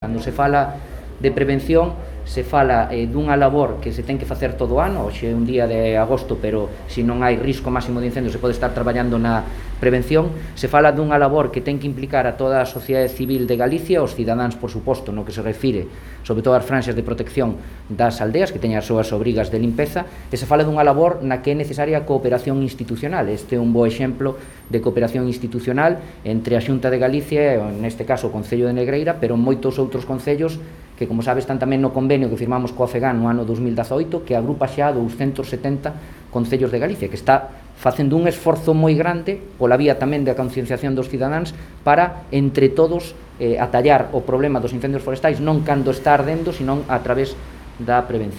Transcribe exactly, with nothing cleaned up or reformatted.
Cando se fala de prevención, se fala eh, dunha labor que se ten que facer todo o ano, hoxe é un día de agosto, pero se non hai risco máximo de incendio se pode estar traballando na prevención. Se fala dunha labor que ten que implicar a toda a sociedade civil de Galicia, os cidadáns, por suposto, no que se refire, sobre todo as franxas de protección das aldeas, que teñan as súas obrigas de limpeza, e se fala dunha labor na que é necesaria a cooperación institucional. Este é un bo exemplo de cooperación institucional entre a Xunta de Galicia, neste caso o Concello de Negreira, pero moitos outros concellos que, como sabes, están tamén no convenio que firmamos coa FEGAN no ano dos mil dezaoito, que agrupa xa douscentos setenta concellos de Galicia, que está facendo un esforzo moi grande pola vía tamén da concienciación dos cidadáns para, entre todos, eh, atallar o problema dos incendios forestais non cando está ardendo, senón a través da prevención.